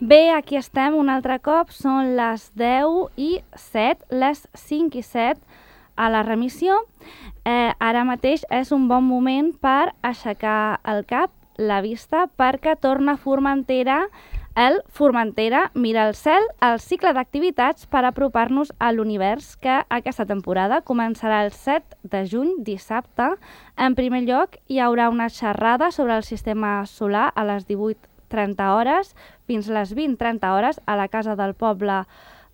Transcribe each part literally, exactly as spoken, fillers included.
Bé, aquí estem un altre cop, són les deu i set, les cinc i set a la remissió. Eh, ara mateix és un bon moment per aixecar el cap, la vista, perquè torna a Formentera el Formentera Mira el Cel, el cicle d'activitats per apropar-nos a l'univers, que aquesta temporada començarà el set de juny, dissabte. En primer lloc, hi haurà una xerrada sobre el sistema solar a les divuit trenta hores fins les vint trenta hores a la Casa del Poble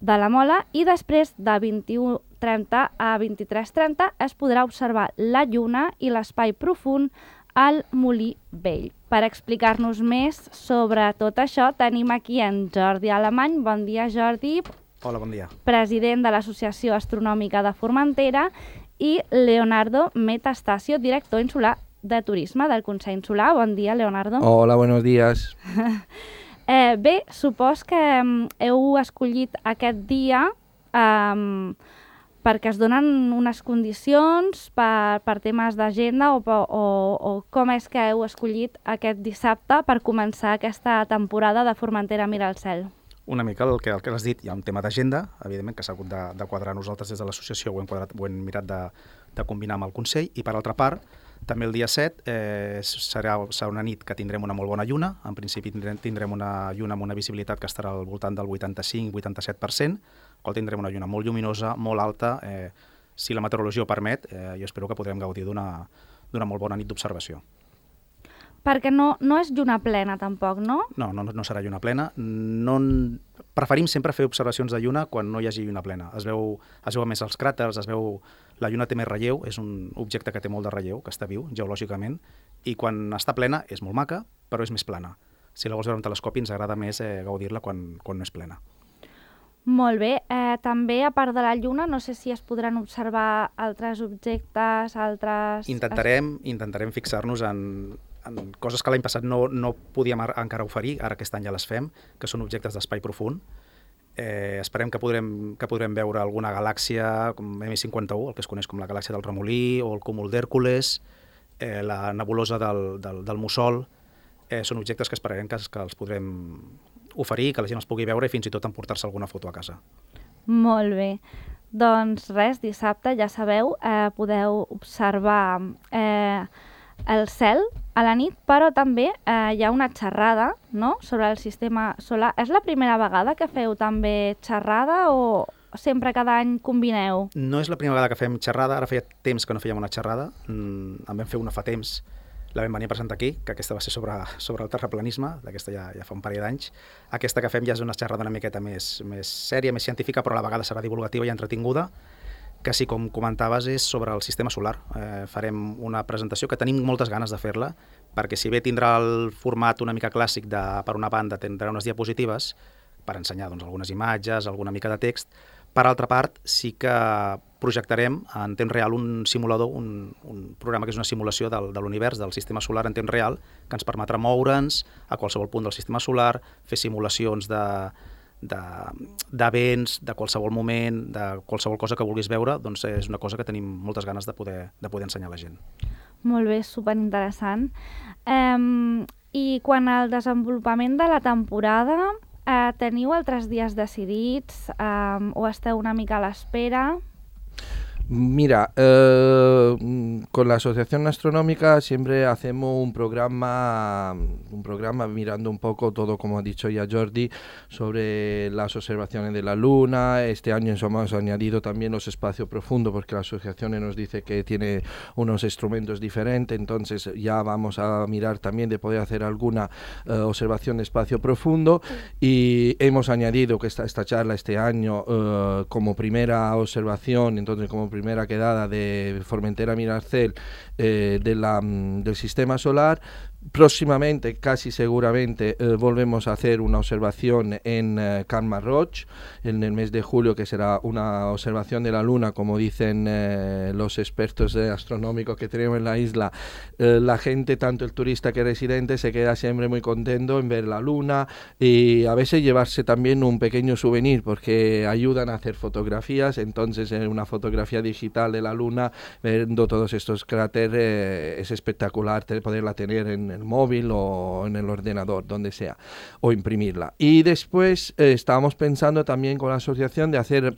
de la Mola, i després de vint-i-u trenta a vint-i-tres trenta es podrà observar la lluna i l'espai profund al Molí Vell. Per explicar-nos més sobre tot això tenim aquí en Jordi Alemany. Bon dia, Jordi. Hola, bon dia. President de l'Associació Astronòmica de Formentera, i Leonardo Metastasio, director insular de turisme del Consell Insular. Bon dia, Leonardo. Hola, buenos días. eh, bé, supos que um, heu escollit aquest dia um, perquè es donen unes condicions per, per temes d'agenda o, o, o com és que heu escollit aquest dissabte per començar aquesta temporada de Formentera Mira el Cel? Una mica el que, el que has dit, hi ha un tema d'agenda, evidentment, que s'ha hagut de, de quadrar nosaltres des de l'associació, ho hem, quadrat, ho hem mirat de, de combinar amb el Consell, i per altra part, també el dia set eh, serà, serà una nit que tindrem una molt bona lluna. En principi tindrem, tindrem una lluna amb una visibilitat que estarà al voltant del vuitanta-cinc vuitanta-set per cent, qual tindrem una lluna molt lluminosa, molt alta. Eh, si la meteorologia ho permet, eh, jo espero que podrem gaudir d'una d'una molt bona nit d'observació. Perquè no, no és lluna plena, tampoc, no? No, no, no serà lluna plena. No, preferim sempre fer observacions de lluna quan no hi hagi lluna plena. Es veu, es veu més els cràters, es veu... La lluna té més relleu, és un objecte que té molt de relleu, que està viu, geològicament, i quan està plena és molt maca, però és més plana. Si la vols veure amb telescopi ens agrada més eh, gaudir-la quan, quan no és plena. Molt bé. Eh, també, a part de la lluna, no sé si es podran observar altres objectes, altres... Intentarem, intentarem fixar-nos en, en coses que l'any passat no, no podíem encara oferir, ara aquest any ja les fem, que són objectes d'espai profund. Eh, esperem que podrem, que podrem veure alguna galàxia com ema cinquanta-u, el que es coneix com la galàxia del Remolí, o el cúmul d'Hèrcules, eh, la nebulosa del, del, del Mussol. Eh, són objectes que esperarem que, que els podrem oferir, que la gent els pugui veure i fins i tot emportar-se alguna foto a casa. Molt bé. Doncs res, dissabte, ja sabeu, eh, podeu observar eh, el cel a la nit, però també eh, hi ha una xerrada, no?, sobre el sistema solar. És la primera vegada que feu també xerrada o sempre cada any combineu? No és la primera vegada que fem xerrada, ara feia temps que no fèiem una xerrada, mm, en vam fer una fa temps, la vam venir a presentar aquí, que aquesta va ser sobre, sobre el terraplanisme, d'aquesta ja, ja fa un parell d'anys. Aquesta que fem ja és una xerrada una miqueta més, més sèria, més científica, però a la vegada serà divulgativa i entretinguda, que sí, com comentaves, és sobre el sistema solar. Eh, farem una presentació que tenim moltes ganes de fer-la, perquè si bé tindrà el format una mica clàssic de, per una banda, tindrà unes diapositives per ensenyar doncs, algunes imatges, alguna mica de text. Per altra part, sí que projectarem en temps real un simulador, un, un programa que és una simulació del, de l'univers, del sistema solar en temps real, que ens permetrà moure'ns a qualsevol punt del sistema solar, fer simulacions de d'events, de, de qualsevol moment, de qualsevol cosa que vulguis veure, doncs és una cosa que tenim moltes ganes de poder, de poder ensenyar a la gent. Molt bé, superinteressant. Um, I quan al desenvolupament de la temporada, uh, teniu altres dies decidits um, o esteu una mica a l'espera? Mira, eh, con la Asociación Astronómica siempre hacemos un programa, un programa mirando un poco todo, como ha dicho ya Jordi, sobre las observaciones de la Luna. Este año hemos añadido también los espacios profundos, porque la asociación nos dice que tiene unos instrumentos diferentes, entonces ya vamos a mirar también de poder hacer alguna eh, observación de espacio profundo, y hemos añadido que esta, esta charla este año eh, como primera observación, entonces como primera primera quedada de Formentera Mira el Cel eh, de la, del sistema solar. Próximamente, casi seguramente, eh, volvemos a hacer una observación en eh, Can Marroig en el mes de julio, que será una observación de la Luna, como dicen eh, los expertos eh, astronómicos que tenemos en la isla. Eh, la gente, tanto el turista que el residente, se queda siempre muy contento en ver la Luna, y a veces llevarse también un pequeño souvenir, porque ayudan a hacer fotografías. Entonces, eh, una fotografía digital de la Luna, viendo todos estos cráteres, eh, es espectacular poderla tener en en el móvil o en el ordenador, donde sea, o imprimirla. Y después eh, estábamos pensando también con la asociación de hacer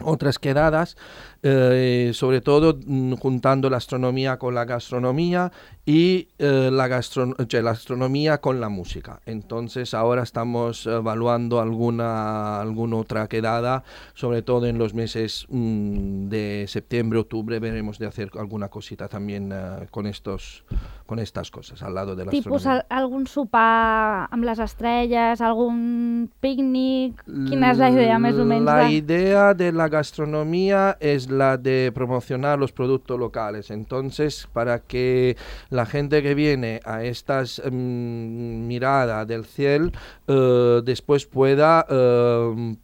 otras quedadas, eh, sobre todo mm, juntando la astronomía con la gastronomía y eh, la, gastro cioè, la astronomía con la música. Entonces ahora estamos evaluando alguna, alguna otra quedada, sobre todo en los meses mm, de septiembre, octubre, veremos de hacer alguna cosita también uh, con, estos, con estas cosas al lado de la Tipus astronomía. al algun sopar amb les estrelles, algun pícnic... Quina és la idea més o menys? La de... idea de la gastronomía es la de promocionar los productos locales. Entonces, para que la gente que viene a estas um, mirada del cielo uh, después pueda uh,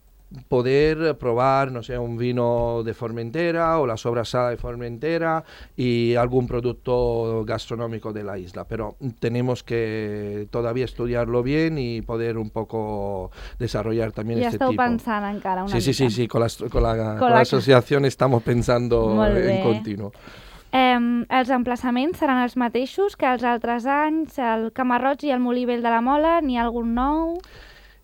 poder probar, no sé, un vino de Formentera o la sobrasada de Formentera y algún producto gastronómico de la isla. Pero tenemos que todavía estudiarlo bien y poder un poco desarrollar también Ja este esteu tipo. pensant encara una Sí, sí, mica. sí, sí, con la, con la, con Con la la- asociación estamos pensando Molt bé. en continuo. Eh, els emplaçaments seran els mateixos que els altres anys, el Camarroig i el Molí Vell de la Mola, n'hi ha algun nou?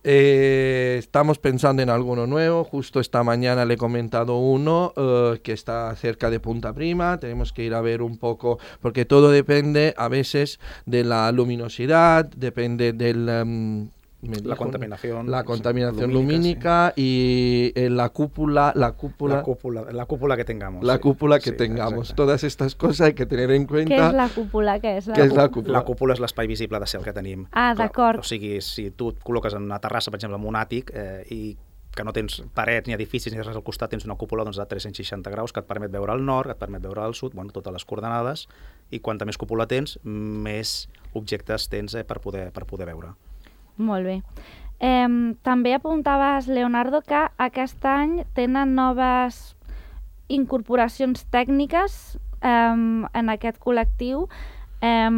Eh, estamos pensando en alguno nuevo. Justo esta mañana le he comentado uno eh, que está cerca de Punta Prima. Tenemos que ir a ver un poco, porque todo depende a veces de la luminosidad, depende del... em, me La dijo, contaminación, la sí, contaminación lumínica, lumínica y eh, la cúpula, la cúpula, La cúpula, la cúpula que tengamos. la sí. cúpula que Sí, tengamos. exacte. Todas estas cosas hay que tener en Què cuenta. és la cúpula? Què és la, Què és la cú- cúpula? La cúpula és l'espai visible de cel que tenim. Ah, Clar, d'acord. O sigui, si tu et col·loques en una terrassa, per exemple, en un àtic, eh, i que no tens parets ni edificis ni res al costat, tens una cúpula doncs, de tres-cents seixanta graus que et permet veure el nord, que et permet veure el sud, bueno, totes les coordenades, i quanta més cúpula tens, més objectes tens eh, per, poder, per poder veure. Molt bé. Eh, també apuntaves, Leonardo, que aquest any tenen noves incorporacions tècniques eh, en aquest col·lectiu eh,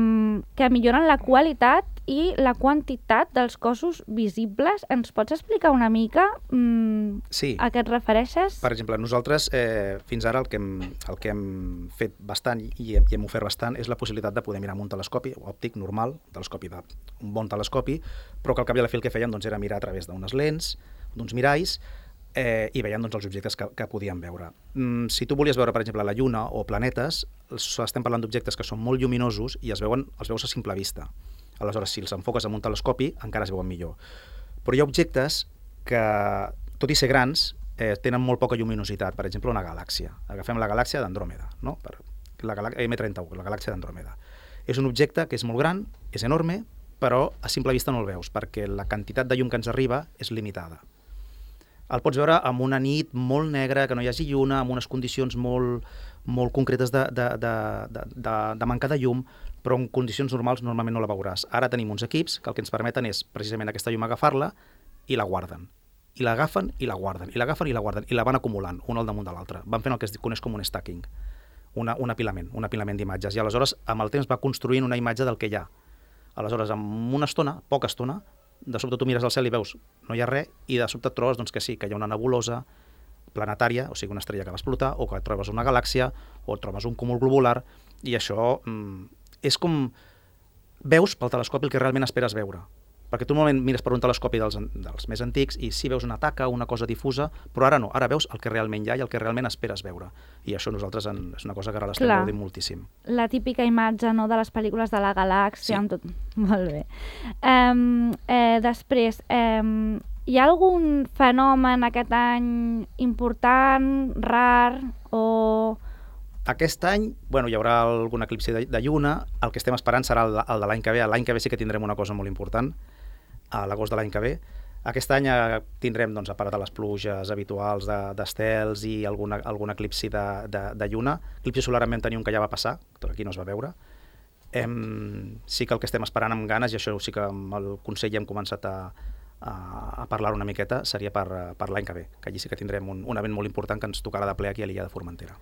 que milloren la qualitat i la quantitat dels cossos visibles. Ens pots explicar una mica mm, Sí. a què et refereixes? Per exemple, nosaltres eh, fins ara el que, hem, el que hem fet bastant i hem, i hem ofert bastant és la possibilitat de poder mirar amb un telescopi òptic normal, telescopi de, un bon telescopi, però que al cap i a la fi el que fèiem doncs, era mirar a través d'unes lents, d'uns miralls, eh, i veiem doncs, els objectes que, que podíem veure. Mm, si tu volies veure, per exemple, la Lluna o planetes, estem parlant d'objectes que són molt lluminosos i es veuen, els veus a simple vista. Aleshores, si els enfoques amb un telescopi, encara es veuen millor. Però hi ha objectes que, tot i ser grans, eh, tenen molt poca lluminositat. Per exemple, una galàxia. Agafem la galàxia d'Andròmeda, no? Per, la galà- ema trenta u, la galàxia d'Andròmeda. És un objecte que és molt gran, és enorme, però a simple vista no el veus, perquè la quantitat de llum que ens arriba és limitada. El pots veure amb una nit molt negra, que no hi hagi lluna, amb unes condicions molt, molt concretes de, de, de, de, de, de manca de llum, però en condicions normals normalment no la veuràs. Ara tenim uns equips que el que ens permeten és precisament aquesta llum agafar-la i la guarden. I l'agafen i la guarden, i l'agafen i la guarden, i la van acumulant, un al damunt de l'altre. Van fent el que es coneix com un stacking, una, un apilament, un apilament d'imatges. I aleshores, amb el temps, va construint una imatge del que hi ha. Aleshores, en una estona, poca estona, de sobte tu mires al cel i veus no hi ha res, i de sobte et trobes doncs, que sí, que hi ha una nebulosa planetària, o sigui, una estrella que va explotar, o que et trobes una galàxia, o et trobes un cúmul globular, i això mm, és com... Veus pel telescopi el que realment esperes veure. Perquè tu normalment mires per un telescopi dels, dels més antics i sí veus una taca, una cosa difusa, però ara no, ara veus el que realment hi ha i el que realment esperes veure. I això nosaltres en, és una cosa que ara l'estem Clar. gaudint moltíssim. La típica imatge, no?, de les pel·lícules de la galàxia, Sí. amb tot... Molt bé. Um, eh, després, um, hi ha algun fenomen aquest any important, rar, o... Aquest any, bueno, hi haurà algun eclipsi de, de lluna, el que estem esperant serà el, el de l'any que ve. L'any que ve sí que tindrem una cosa molt important, a l'agost de l'any que ve. Aquest any eh, tindrem, doncs, a part de les pluges habituals d'estels de, i alguna, algun eclipsi de, de, de lluna. Eclipsi solar en vam tenir un que ja va passar, que aquí no es va veure. Em, sí que el que estem esperant amb ganes, i això sí que amb el Consell ja hem començat a, a, a parlar una miqueta, seria per, per l'any que ve, que allí sí que tindrem un, un event molt important que ens tocarà de ple aquí a l'illa de Formentera.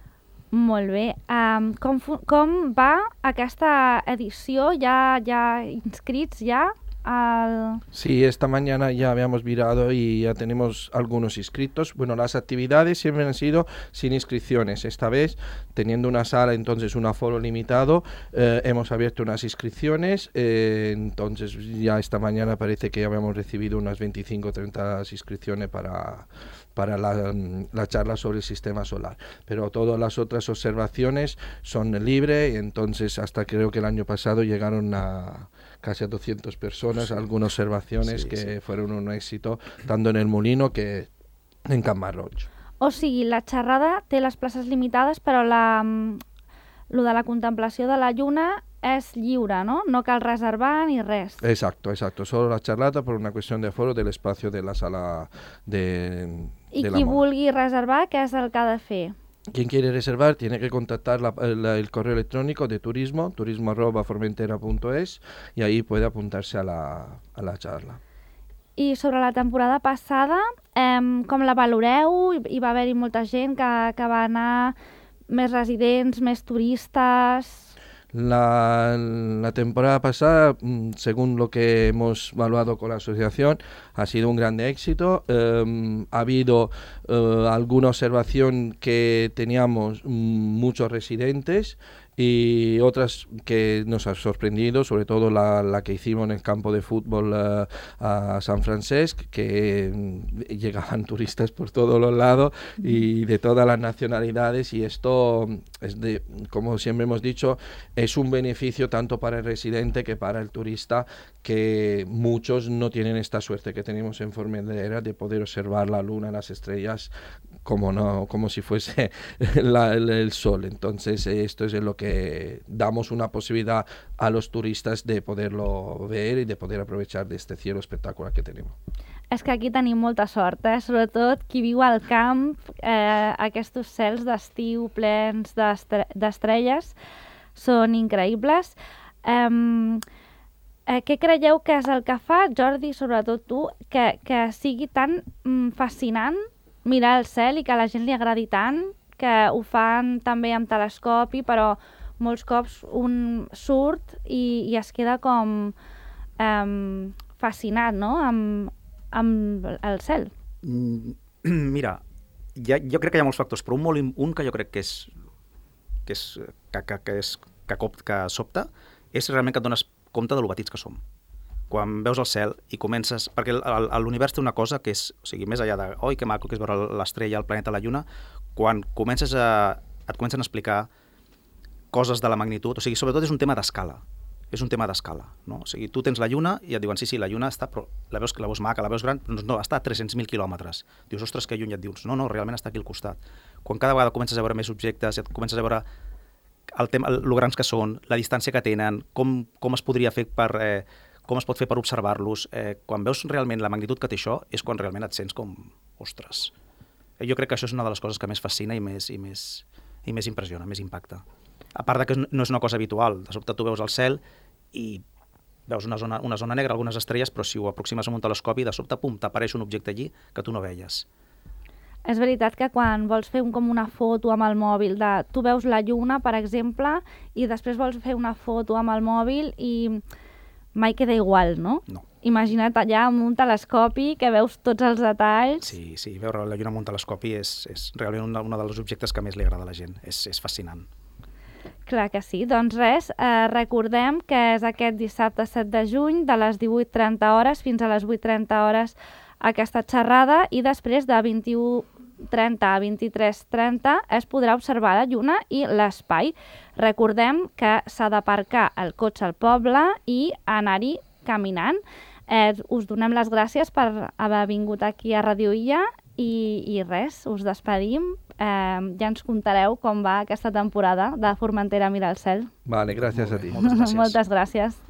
Molt bé. Um, com, fu- com va aquesta edició? Ja, ja inscrits ja al... Sí, esta mañana ya habíamos mirado y ya tenemos algunos inscritos. Bueno, las actividades siempre han sido sin inscripciones. Esta vez, teniendo una sala, entonces un aforo limitado, eh, hemos abierto unas inscripciones. Eh, entonces ya esta mañana parece que ya habíamos recibido unas veinticinco o treinta inscripciones para... para la, la charla sobre el sistema solar. Pero todas las otras observaciones son libres y entonces hasta creo que el año pasado llegaron a casi a doscientas personas, sí. Algunas observaciones sí, que sí. fueron un éxito, tanto en el Molino que en Can Marroig. O sigui, la xerrada té les places limitades, però la, lo de la contemplació de la lluna és lliure, ¿no? No cal reservar ni res. Exacto, exacto. Solo la charlata por una cuestión de aforo del espacio de la sala de, I de la qui moda. vulgui reservar, què és el que ha de fer? Quien quiere reservar tiene que contactar la, la, el correo electrónico de turismo, turismo arroba formentera punto es, y ahí puede apuntarse a la, a la charla. I sobre la temporada passada, eh, com la valoreu? Hi va haver-hi molta gent que, que va anar, més residents, més turistes... La, la temporada pasada, según lo que hemos evaluado con la asociación, ha sido un gran éxito. Eh, ha habido eh, alguna observación que teníamos muchos residentes y otras que nos ha sorprendido, sobre todo la, la que hicimos en el campo de fútbol uh, a San Francesc, que mm, llegaban turistas por todos los lados y de todas las nacionalidades, y esto, es de, como siempre hemos dicho, es un beneficio tanto para el residente que para el turista, que muchos no tienen esta suerte que tenemos en Formentera de poder observar la luna, las estrellas, como no, como si fuese la, el, el sol. Entonces esto es lo que damos una posibilidad a los turistas de poderlo ver y de poder aprovechar de este cielo espectacular que tenemos. És que aquí tenim molta sort, eh? Sobretot qui viu al camp, eh, aquests cels d'estiu plens d'estre d'estrelles són increïbles. Eh, eh, què creieu que és el que fa, Jordi, sobretot tu, que, que sigui tan mm, fascinant mirar el cel i que a la gent li agradi tant, que ho fan també amb telescopi, però molts cops un surt i, i es queda com um, fascinat, no?, amb, amb el cel. Mira, ja, jo crec que hi ha molts factors, però un, molt, un que jo crec que és que, és, que, que, que, és, que, cop, que sobta és realment que et dones compte de lo petits que som. Quan veus el cel i comences... Perquè l'univers té una cosa que és... O sigui, més enllà de... Oi, que maco que és veure l'estrella, el planeta, la lluna, quan comences a... et comencen a explicar coses de la magnitud... O sigui, sobretot és un tema d'escala. És un tema d'escala, no? O sigui, tu tens la lluna i et diuen, sí, sí, la lluna està... Però la veus, la veus maca, la veus gran... Doncs no, està a tres-cents mil quilòmetres. Dius, ostres, que lluny, et dius, no, no, realment està aquí al costat. Quan cada vegada comences a veure més objectes, et comences a veure el tema, el, lo grans que són, la distància que tenen, com, com es podria fer per... Eh, com es pot fer per observar-los, eh, quan veus realment la magnitud que té això, és quan realment et sents com, ostres. Eh, jo crec que això és una de les coses que més fascina i més, i més, i més impressiona, més impacta. A part de que no és una cosa habitual, de sobte tu veus el cel i veus una zona, una zona negra, algunes estrelles, però si ho aproximes amb un telescopi, de sobte, pum, t'apareix un objecte allí que tu no veies. És veritat que quan vols fer un, com una foto amb el mòbil, de, tu veus la lluna, per exemple, i després vols fer una foto amb el mòbil i mai queda igual, no? No. Imagina't allà amb un telescopi que veus tots els detalls. Sí, sí, veure la lluna amb un telescopi és, és realment un, un dels objectes que més li agrada a la gent. És, és fascinant. Clar que sí. Doncs res, eh, recordem que és aquest dissabte set de juny de les divuit trenta hores fins a les vuit trenta hores aquesta xerrada i després de vint-i-u trenta a vint-i-tres trenta es podrà observar la lluna i l'espai. Recordem que s'ha d'aparcar el cotxe al poble i anar-hi caminant. Eh, us donem les gràcies per haver vingut aquí a Radio Illa i, i res, us despedim. Eh, ja ens contareu com va aquesta temporada de Formentera Mira el Cel. Vale, gràcies a ti. Moltes gràcies. Moltes gràcies.